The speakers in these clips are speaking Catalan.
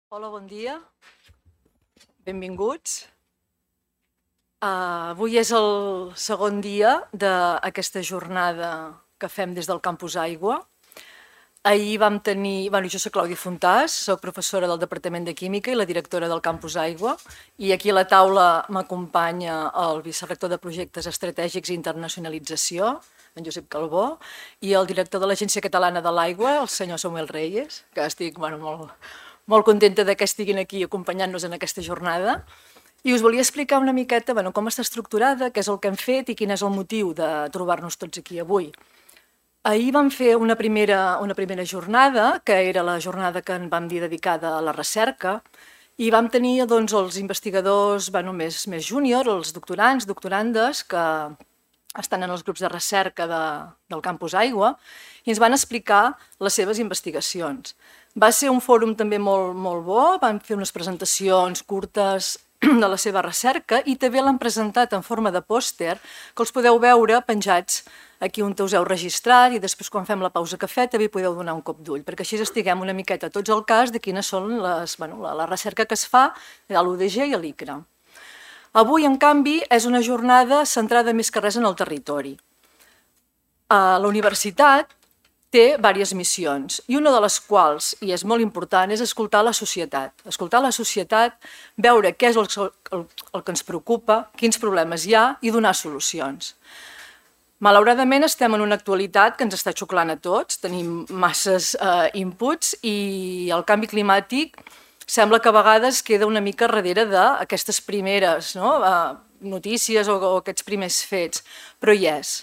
Hola, bon dia. Benvinguts. Avui és el segon dia d'aquesta jornada que fem des del Campus Aigua. Ahir vam tenir... jo soc Clàudia Fontàs, soc professora del Departament de Química i la directora del Campus Aigua, i aquí a la taula m'acompanya el vicerector de Projectes Estratègics i Internacionalització, en Josep Calbó, i el director de l'Agència Catalana de l'Aigua, el senyor Samuel Reyes, que estic molt contenta que estiguin aquí acompanyant-nos en aquesta jornada. I us volia explicar una miqueta com està estructurada, què és el que hem fet i quin és el motiu de trobar-nos tots aquí avui. Ahir vam fer una primera jornada, que era la jornada que en vam dir dedicada a la recerca, i vam tenir els investigadors més júnior, els doctorants, doctorandes, que estan en els grups de recerca del Campus Aigua, i ens van explicar les seves investigacions. Va ser un fòrum també molt bo, van fer unes presentacions curtes de la seva recerca i també l'han presentat en forma de pòster, que els podeu veure penjats aquí on us heu registrat, i després quan fem la pausa cafè també podeu donar un cop d'ull, perquè així estiguem una miqueta tots al cas de quines són la recerca que es fa a l'UDG i a l'ICRA. Avui, en canvi, és una jornada centrada més que res en el territori. La universitat té diverses missions, i una de les quals, i és molt important, és escoltar la societat. Escoltar la societat, veure què és el que ens preocupa, quins problemes hi ha, i donar solucions. Malauradament estem en una actualitat que ens està xuclant a tots, tenim masses inputs i el canvi climàtic sembla que a vegades queda una mica darrere d'aquestes primeres notícies o aquests primers fets, però hi és.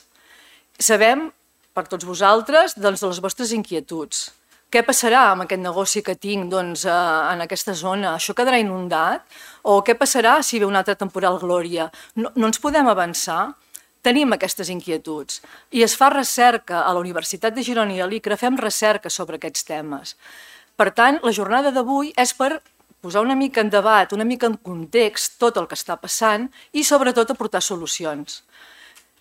Sabem, per tots vosaltres, de les vostres inquietuds. Què passarà amb aquest negoci que tinc en aquesta zona? Això quedarà inundat? O què passarà si ve una altra temporal glòria? No ens podem avançar? Tenim aquestes inquietuds i es fa recerca a la Universitat de Girona i a l'ICRA, fem recerca sobre aquests temes. Per tant, la jornada d'avui és per posar una mica en debat, una mica en context tot el que està passant i sobretot aportar solucions.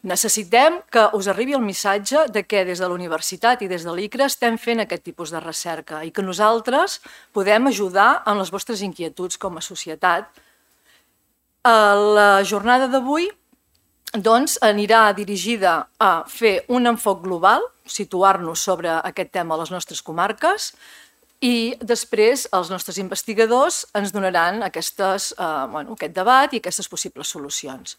Necessitem que us arribi el missatge de que des de la universitat i des de l'ICRA estem fent aquest tipus de recerca i que nosaltres podem ajudar en les vostres inquietuds com a societat. La jornada d'avui anirà dirigida a fer un enfoc global, situar-nos sobre aquest tema a les nostres comarques, i després els nostres investigadors ens donaran aquest debat i aquestes possibles solucions.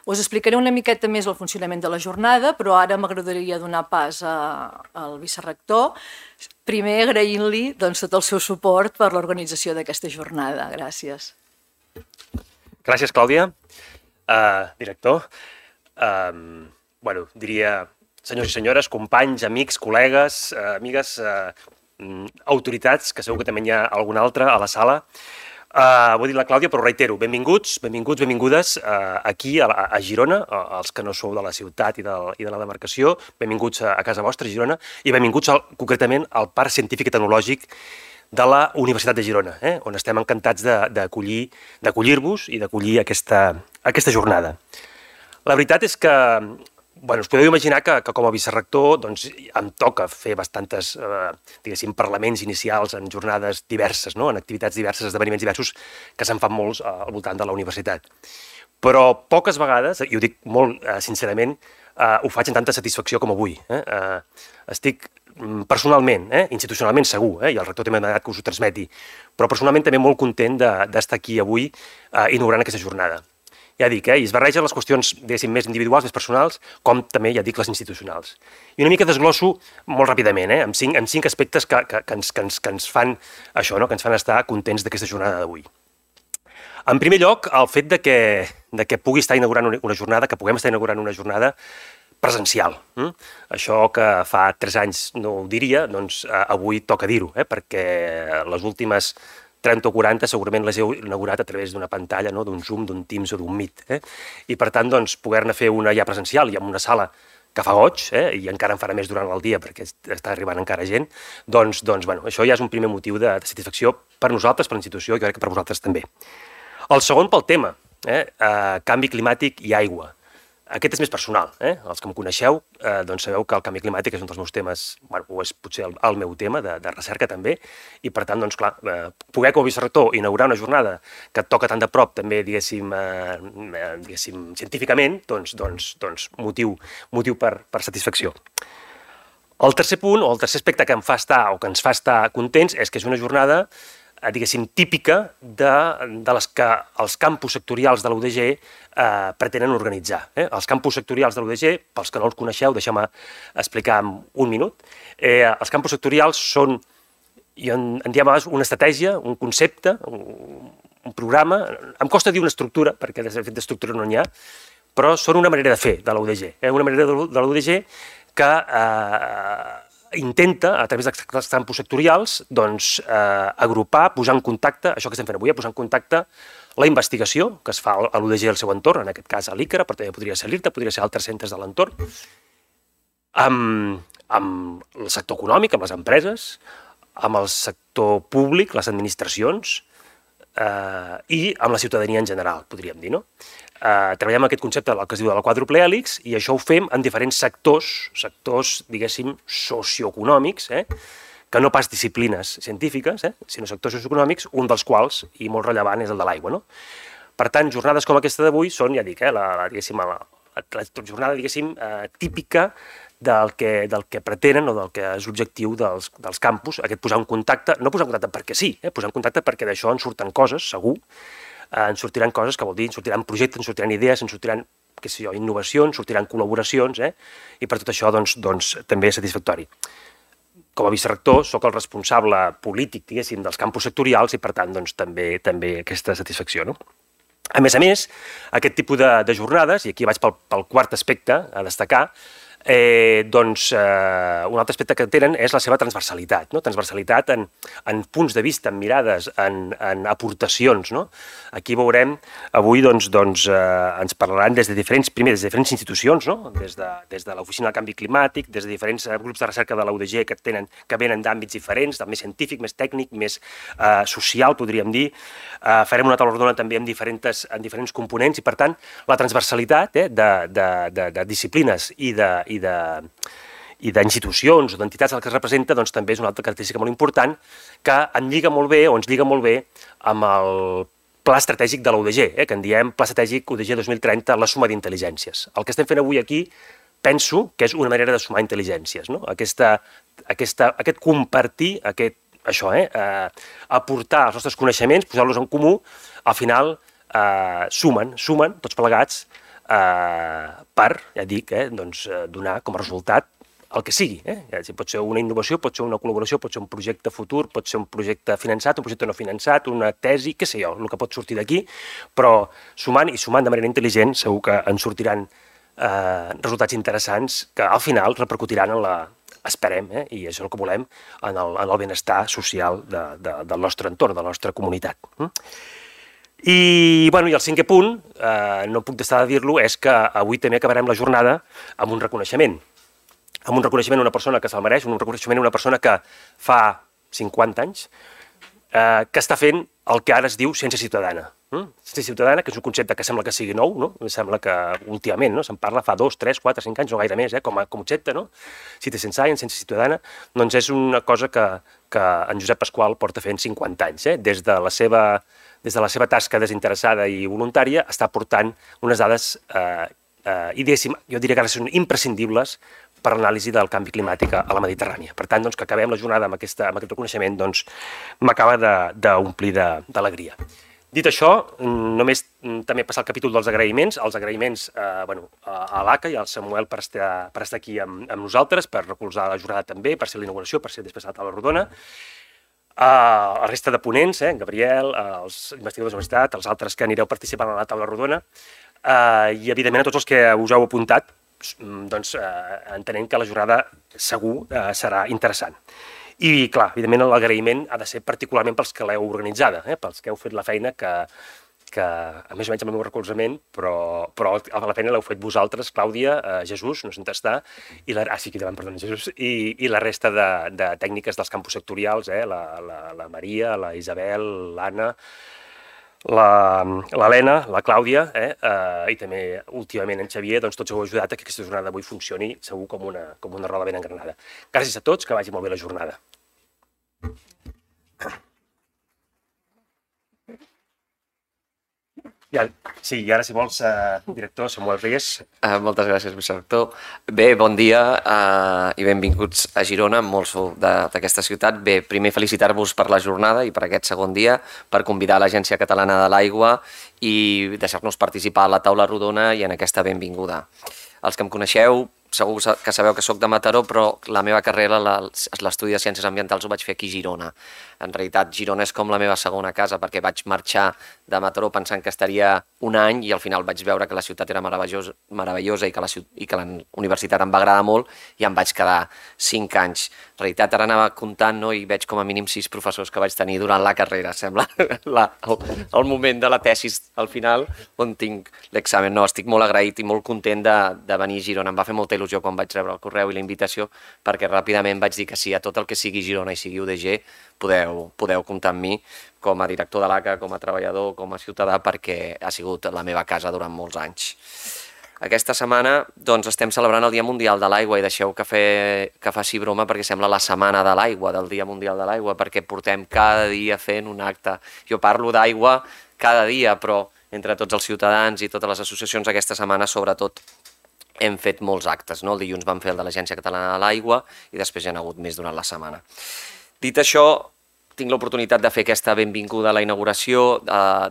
Us explicaré una miqueta més el funcionament de la jornada, però ara m'agradaria donar pas al vicerector, primer agraint-li tot el seu suport per l'organització d'aquesta jornada. Gràcies. Gràcies, Clàudia. Director. Diria senyors i senyores, companys, amics, col·legues, amigues, autoritats, que segur que també n'hi ha alguna altra a la sala. Ho ha dit la Clàudia, però ho reitero, benvinguts, benvingudes aquí a Girona, els que no sou de la ciutat i de la demarcació, benvinguts a casa vostra, a Girona, i benvinguts concretament al Parc Científic i Tecnològic de la Universitat de Girona, on estem encantats d'acollir-vos i d'acollir aquesta jornada. La veritat és que us podeu imaginar que com a vicerector em toca fer bastantes, parlaments inicials en jornades diverses, en activitats diverses, esdeveniments diversos, que se'n fan molts al voltant de la universitat. Però poques vegades, i ho dic molt sincerament, ho faig amb tanta satisfacció com avui. Estic personalment, institucionalment segur, i el rector també m'ha demanat que us ho transmeti, però personalment també molt content d'estar aquí avui inaugurant aquesta jornada. Ja dic, i es barregen les qüestions, més individuals, més personals, com també, ja dic, les institucionals. I una mica desglosso molt ràpidament, amb cinc aspectes que ens fan això, que ens fan estar contents d'aquesta jornada d'avui. En primer lloc, el fet de que pugui estar inaugurant una jornada, que puguem estar inaugurant una jornada presencial. Això que fa 3 anys no ho diria, doncs avui toca dir-ho, perquè les últimes 30 o 40 segurament les heu inaugurat a través d'una pantalla, d'un Zoom, d'un Teams o d'un Meet. I per tant, poder-ne fer una ja presencial i en una sala que fa goig, i encara en farà més durant el dia perquè està arribant encara gent, doncs això ja és un primer motiu de satisfacció per nosaltres, per la institució, i crec que per vosaltres també. El segon pel tema, canvi climàtic i aigua. Aquest és més personal, Els que em coneixeu, doncs sabeu que el canvi climàtic és un dels meus temes, o és potser el meu tema de recerca també, i per tant, doncs clar, poder com a vicerector inaugurar una jornada que et toca tan de prop també, diguéssim, científicament, doncs motiu per satisfacció. El tercer punt, o el tercer aspecte que em fa estar, o que ens fa estar contents, és que és una jornada diguéssim, típica de les que els campus sectorials de la UDG pretenen organitzar. Els campus sectorials de la UDG, pels que no els coneixeu, deixeu-me explicar en un minut. Els campus sectorials són, en diem una estratègia, un concepte, un programa, em costa dir una estructura, perquè de fet d'estructura no n'hi ha, però són una manera de fer de la UDG, una manera de la UDG que intenta, a través dels campus sectorials, doncs, agrupar, posar en contacte, això que estem fent avui, posar en contacte la investigació que es fa a l'UDG i al seu entorn, en aquest cas a l'ICRA, però també podria ser l'IRTA, podria ser altres centres de l'entorn, amb el sector econòmic, amb les empreses, amb el sector públic, les administracions, i amb la ciutadania en general, podríem dir, no? Treballem aquest concepte del que es diu de la quàdruple hèlix i això ho fem en diferents sectors, diguéssim, socioeconòmics, que no pas disciplines científiques, sinó sectors socioeconòmics, un dels quals, i molt rellevant, és el de l'aigua, no? Per tant, jornades com aquesta d'avui són, ja dic, la jornada, diguéssim, típica del que pretenen o del que és l'objectiu dels campus, aquest posar en contacte, no posar en contacte perquè sí, posar en contacte perquè d'això en surten coses, segur, en sortiran coses, que vol dir, en sortiran projectes, en sortiran idees, en sortiran, què sé jo, innovacions, sortiran col·laboracions, i per tot això, doncs, també és satisfactori. Com a vicerector, sóc el responsable polític, diguéssim, dels campus sectorials i, per tant, doncs, també aquesta satisfacció, no? A més, aquest tipus de jornades, i aquí vaig pel quart aspecte a destacar, un altre aspecte que tenen és la seva transversalitat, no? Transversalitat en punts de vista, en mirades, en aportacions, no? Aquí veurem, avui ens parlaran des de diferents institucions, no? Des de l'Oficina del Canvi Climàtic, des de diferents grups de recerca de la UDG que venen d'àmbits diferents, més científic, més tècnic, més social, podríem dir. Farem una taula rodona també amb diferents components i, per tant, la transversalitat de disciplines i d'institucions o d'entitats a les que es representa, doncs també és una altra característica molt important que ens lliga molt bé amb el pla estratègic de la UDG, que en diem Pla Estratègic UDG 2030, la suma d'intel·ligències. El que estem fent avui aquí penso que és una manera de sumar intel·ligències, no? Aquest compartir, aportar els nostres coneixements, posar-los en comú, al final sumen tots plegats per, ja dic, donar com a resultat el que sigui. Pot ser una innovació, pot ser una col·laboració, pot ser un projecte futur, pot ser un projecte finançat, un projecte no finançat, una tesi, què sé jo, el que pot sortir d'aquí, però sumant de manera intel·ligent segur que en sortiran resultats interessants que al final repercutiran esperem, i és el que volem, en el benestar social del nostre entorn, de la nostra comunitat. I el cinquè punt, no puc deixar de dir-lo, és que avui també acabarem la jornada amb un reconeixement. Amb un reconeixement a una persona que se'l mereix, un reconeixement a una persona que fa 50 anys que està fent el que ara es diu ciència ciutadana. Ciència ciutadana, que és un concepte que sembla que sigui nou, no? Sembla que últimament se'n parla fa 2, 3, 4, 5 anys, no gaire més, com a concepte, no? Citizen Science, ciència ciutadana, doncs és una cosa que en Josep Pasqual porta fent 50 anys. Des de la seva tasca desinteressada i voluntària està portant unes dades, jo diria que ara són imprescindibles per l'anàlisi del canvi climàtic a la Mediterrània. Per tant, que acabem la jornada amb aquest reconeixement m'acaba d'omplir d'alegria. Dit això, només també passar al capítol dels agraïments. Els agraïments a l'ACA i al Samuel per estar aquí amb nosaltres, per recolzar la jornada també, per ser la inauguració, per ser després a la taula rodona. La resta de ponents, Gabriel, els investigadors de la universitat, els altres que anireu participant a la taula rodona, i evidentment a tots els que us heu apuntat, entenent que la jornada segur serà interessant. I, clar, evidentment l'agraïment ha de ser particularment pels que l'heu organitzada, pels que heu fet la feina que a més o menys amb el meu recolzament, però la feina l'heu fet vosaltres, Clàudia, Jesús, no sé on està, Jesús, i la resta de tècniques dels campus sectorials, la Maria, la Isabel, l'Anna, l'Helena, la Clàudia i també últimament en Xavier, doncs tots heu ajudat a que aquesta jornada d'avui funcioni segur com una roda ben engranada. Gràcies a tots, que vagi molt bé la jornada. Sí, i ara, si vols, director Samuel Reyes. Moltes gràcies, vicerector. Bé, bon dia i benvinguts a Girona, molt sou d'aquesta ciutat. Bé, primer felicitar-vos per la jornada i per aquest segon dia, per convidar l'Agència Catalana de l'Aigua i deixar-nos participar a la taula rodona i en aquesta benvinguda. Els que em coneixeu, segur que sabeu que sóc de Mataró, però la meva carrera, l'estudi de Ciències Ambientals, ho vaig fer aquí a Girona. En realitat, Girona és com la meva segona casa, perquè vaig marxar de Mataró pensant que estaria un any i al final vaig veure que la ciutat era meravellosa i que la universitat em va agradar molt i em vaig quedar 5 anys. En realitat, ara anava comptant i veig com a mínim 6 professors que vaig tenir durant la carrera. Sembla el moment de la tesis al final on tinc l'examen. No, estic molt agraït i molt content de venir a Girona. Em va fer molta il·lusió quan vaig rebre el correu i la invitació perquè ràpidament vaig dir que sí a tot el que sigui Girona i sigui UDG podeu comptar amb mi com a director de l'ACA, com a treballador, com a ciutadà, perquè ha sigut la meva casa durant molts anys. Aquesta setmana doncs, estem celebrant el Dia Mundial de l'Aigua i deixeu que faci broma perquè sembla la setmana de l'aigua, del Dia Mundial de l'Aigua, perquè portem cada dia fent un acte. Jo parlo d'aigua cada dia, però entre tots els ciutadans i totes les associacions aquesta setmana, sobretot, hem fet molts actes. El dilluns vam fer el de l'Agència Catalana de l'Aigua i després hi ha hagut més durant la setmana. Dit això, tinc l'oportunitat de fer aquesta benvinguda a la inauguració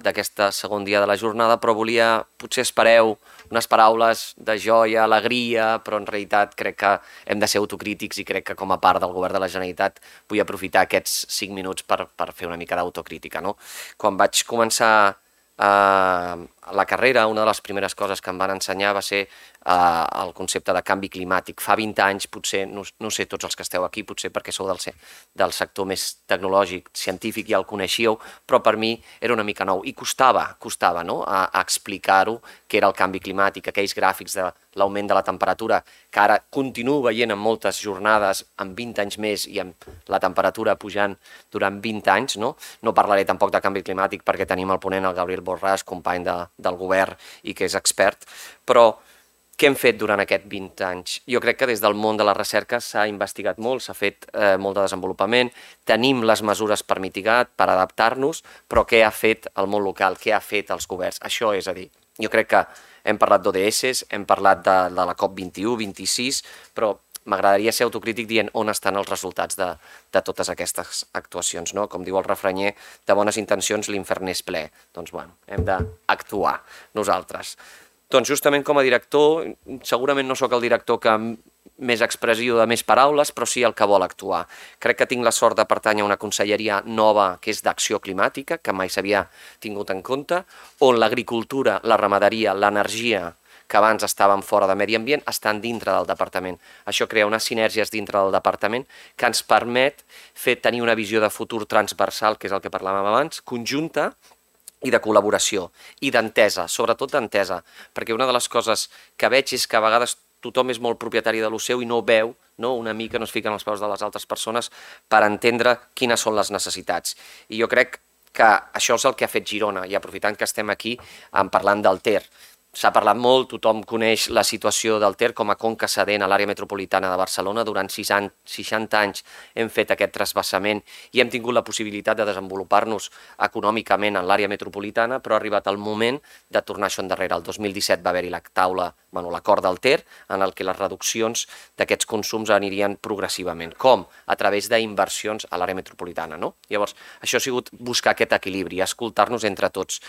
d'aquest segon dia de la jornada, però potser espereu unes paraules de joia, alegria, però en realitat crec que hem de ser autocrítics i crec que com a part del govern de la Generalitat vull aprofitar aquests 5 minuts per fer una mica d'autocrítica. Quan vaig començar la carrera, una de les primeres coses que em van ensenyar va ser el concepte de canvi climàtic. Fa 20 anys, potser, no sé tots els que esteu aquí, potser perquè sou del sector més tecnològic, científic, ja el coneixíeu, però per mi era una mica nou i costava a explicar-ho què era el canvi climàtic, aquells gràfics de l'augment de la temperatura, que ara continuo veient en moltes jornades amb 20 anys més i amb la temperatura pujant durant 20 anys. No parlaré tampoc de canvi climàtic perquè tenim el ponent, el Gabriel Borràs, company del govern i que és expert, però què hem fet durant aquests 20 anys? Jo crec que des del món de la recerca s'ha investigat molt, s'ha fet molt de desenvolupament, tenim les mesures per mitigar, per adaptar-nos, però què ha fet el món local, què ha fet els governs? Això és a dir, jo crec que hem parlat d'ODS, hem parlat de la COP21, 26, però m'agradaria ser autocrític dient on estan els resultats de totes aquestes actuacions. Com diu el refranyer, de bones intencions l'infern és ple. Doncs bueno, hem d'actuar nosaltres. Doncs justament com a director, segurament no sóc el director que més expressiu de més paraules, però sí el que vol actuar. Crec que tinc la sort de pertànyer a una conselleria nova que és d'acció climàtica, que mai s'havia tingut en compte, on l'agricultura, la ramaderia, l'energia, que abans estaven fora de medi ambient, estan dintre del departament. Això crea unes sinergies dintre del departament que ens permet tenir una visió de futur transversal, que és el que parlàvem abans, conjunta, i de col·laboració, i d'entesa, sobretot d'entesa, perquè una de les coses que veig és que a vegades tothom és molt propietari de lo seu i no veu, una mica no es fiquen als peus de les altres persones per entendre quines són les necessitats. I jo crec que això és el que ha fet Girona, i aprofitant que estem aquí parlant del Ter. S'ha parlat molt, tothom coneix la situació del Ter com a conca cedent a l'àrea metropolitana de Barcelona. Durant 60 anys hem fet aquest trasbassament i hem tingut la possibilitat de desenvolupar-nos econòmicament en l'àrea metropolitana, però ha arribat el moment de tornar això endarrere. El 2017 va haver-hi l'acord del Ter, en el que les reduccions d'aquests consums anirien progressivament. Com? A través d'inversions a l'àrea metropolitana. Llavors, això ha sigut buscar aquest equilibri, escoltar-nos entre tots.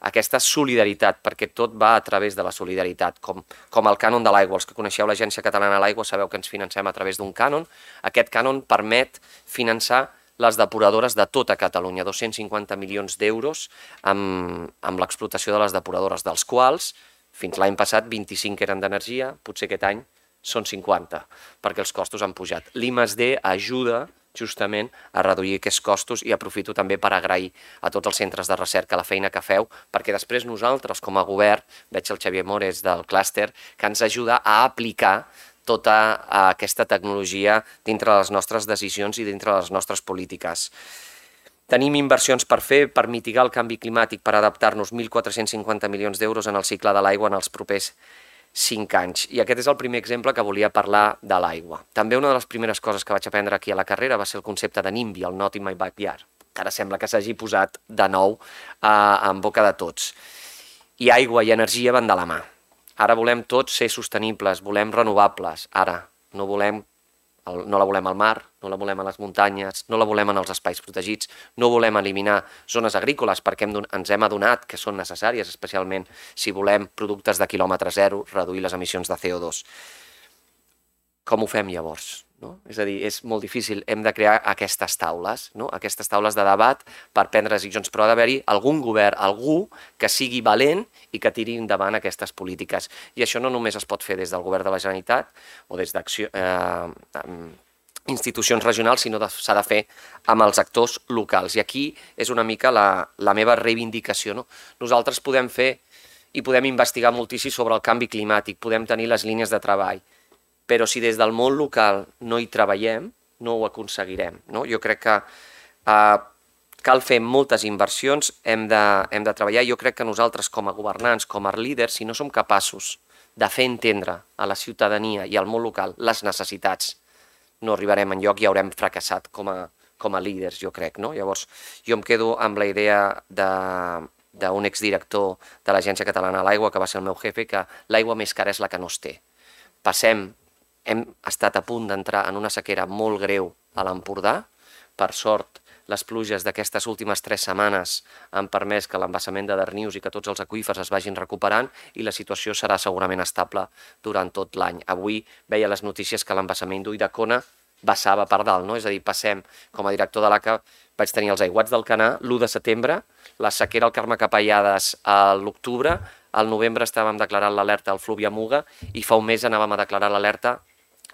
Aquesta solidaritat, perquè tot va a través de la solidaritat, com el cànon de l'aigua. Els que coneixeu l'Agència Catalana de l'Aigua sabeu que ens financem a través d'un cànon. Aquest cànon permet finançar les depuradores de tota Catalunya, 250 milions d'euros amb l'explotació de les depuradores, dels quals fins l'any passat 25 eren d'energia, potser aquest any són 50, perquè els costos han pujat. L'I+D ajuda justament a reduir aquests costos i aprofito també per agrair a tots els centres de recerca la feina que feu, perquè després nosaltres com a govern, veig el Xavier Mores del clúster, que ens ajuda a aplicar tota aquesta tecnologia dintre de les nostres decisions i dintre de les nostres polítiques. Tenim inversions per fer, per mitigar el canvi climàtic, per adaptar-nos, 1.450 milions d'euros en el cicle de l'aigua en els propers 5 anys. I aquest és el primer exemple que volia parlar de l'aigua. També una de les primeres coses que vaig aprendre aquí a la carrera va ser el concepte de NIMBY, el Not in my backyard, que ara sembla que s'hagi posat de nou en boca de tots. I aigua i energia van de la mà. Ara volem tots ser sostenibles, volem renovables. Ara no la volem al mar, no la volem a les muntanyes, no la volem en els espais protegits, no volem eliminar zones agrícoles perquè ens hem adonat que són necessàries, especialment si volem productes de quilòmetre zero, reduir les emissions de CO2. Com ho fem llavors? És a dir, és molt difícil, hem de crear aquestes taules de debat per prendre decisions, però ha d'haver-hi algun govern, algú que sigui valent i que tiri endavant aquestes polítiques. I això no només es pot fer des del govern de la Generalitat o des d'institucions regionals, sinó que s'ha de fer amb els actors locals. I aquí és una mica la meva reivindicació. Nosaltres podem fer i podem investigar moltíssim sobre el canvi climàtic, podem tenir les línies de treball, però si des del món local no hi treballem, no ho aconseguirem. Jo crec que cal fer moltes inversions, hem de treballar. Jo crec que nosaltres, com a governants, com a líders, si no som capaços de fer entendre a la ciutadania i al món local les necessitats, no arribarem enlloc i haurem fracassat com a líders, jo crec. Llavors, jo em quedo amb la idea d'un exdirector de l'Agència Catalana de l'Aigua, que va ser el meu jefe, que l'aigua més cara és la que no es té. Hem estat a punt d'entrar en una sequera molt greu a l'Empordà. Per sort, les pluges d'aquestes últimes 3 setmanes han permès que l'embassament de Darnius i que tots els aqüífers es vagin recuperant i la situació serà segurament estable durant tot l'any. Avui veia les notícies que l'embassament d'Ulldecona vessava per dalt, és a dir, passem, com a director de l'ACA, vaig tenir els aiguats del Canà l'1 de setembre, la sequera al Carme Capellades a l'octubre, al novembre estàvem declarant l'alerta al Fluvià Muga i fa un mes anàvem a declarar l'alerta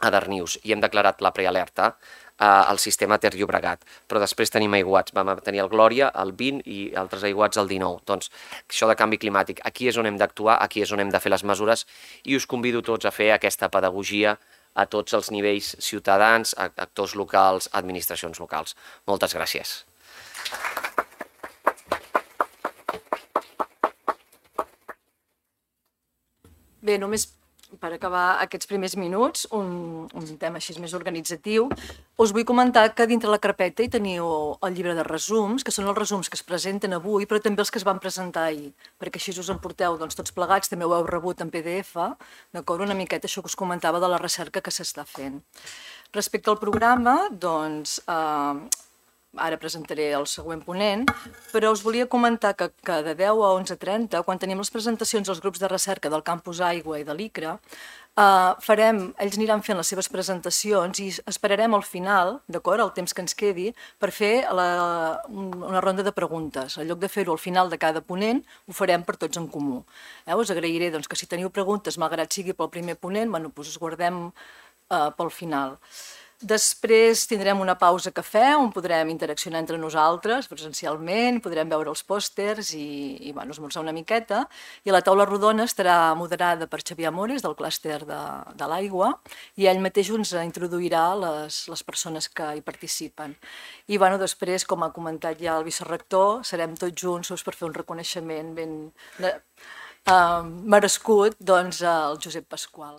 a Darnius i hem declarat la prealerta al sistema Ter Llobregat, però després tenim aiguats, vam tenir el Glòria, el 20 i altres aiguats el 19. Doncs això de canvi climàtic, aquí és on hem d'actuar, aquí és on hem de fer les mesures i us convido tots a fer aquesta pedagogia a tots els nivells ciutadans, actors locals, administracions locals. Moltes gràcies. Bé, només per acabar aquests primers minuts, un tema així més organitzatiu, us vull comentar que dintre la carpeta hi teniu el llibre de resums, que són els resums que es presenten avui, però també els que es van presentar ahir, perquè així us en porteu tots plegats, també ho heu rebut en PDF, d'acord? Una miqueta això que us comentava de la recerca que s'està fent. Respecte al programa, doncs, ara presentaré el següent ponent, però us volia comentar que de 10 a 11:30, quan tenim les presentacions dels grups de recerca del Campus Aigua i de l'ICRA, ells aniran fent les seves presentacions i esperarem al final, d'acord, el temps que ens quedi, per fer una ronda de preguntes. En lloc de fer-ho al final de cada ponent, ho farem per tots en comú. Us agrairé que si teniu preguntes, malgrat sigui pel primer ponent, us guardem pel final. Després tindrem una pausa cafè on podrem interaccionar entre nosaltres presencialment, podrem veure els pòsters i esmorzar una miqueta. I la taula rodona estarà moderada per Xavier Amores, del clúster de l'aigua, i ell mateix ens introduirà les persones que hi participen. I després, com ha comentat ja el vicerector, serem tots junts per fer un reconeixement ben merescut al Josep Pasqual.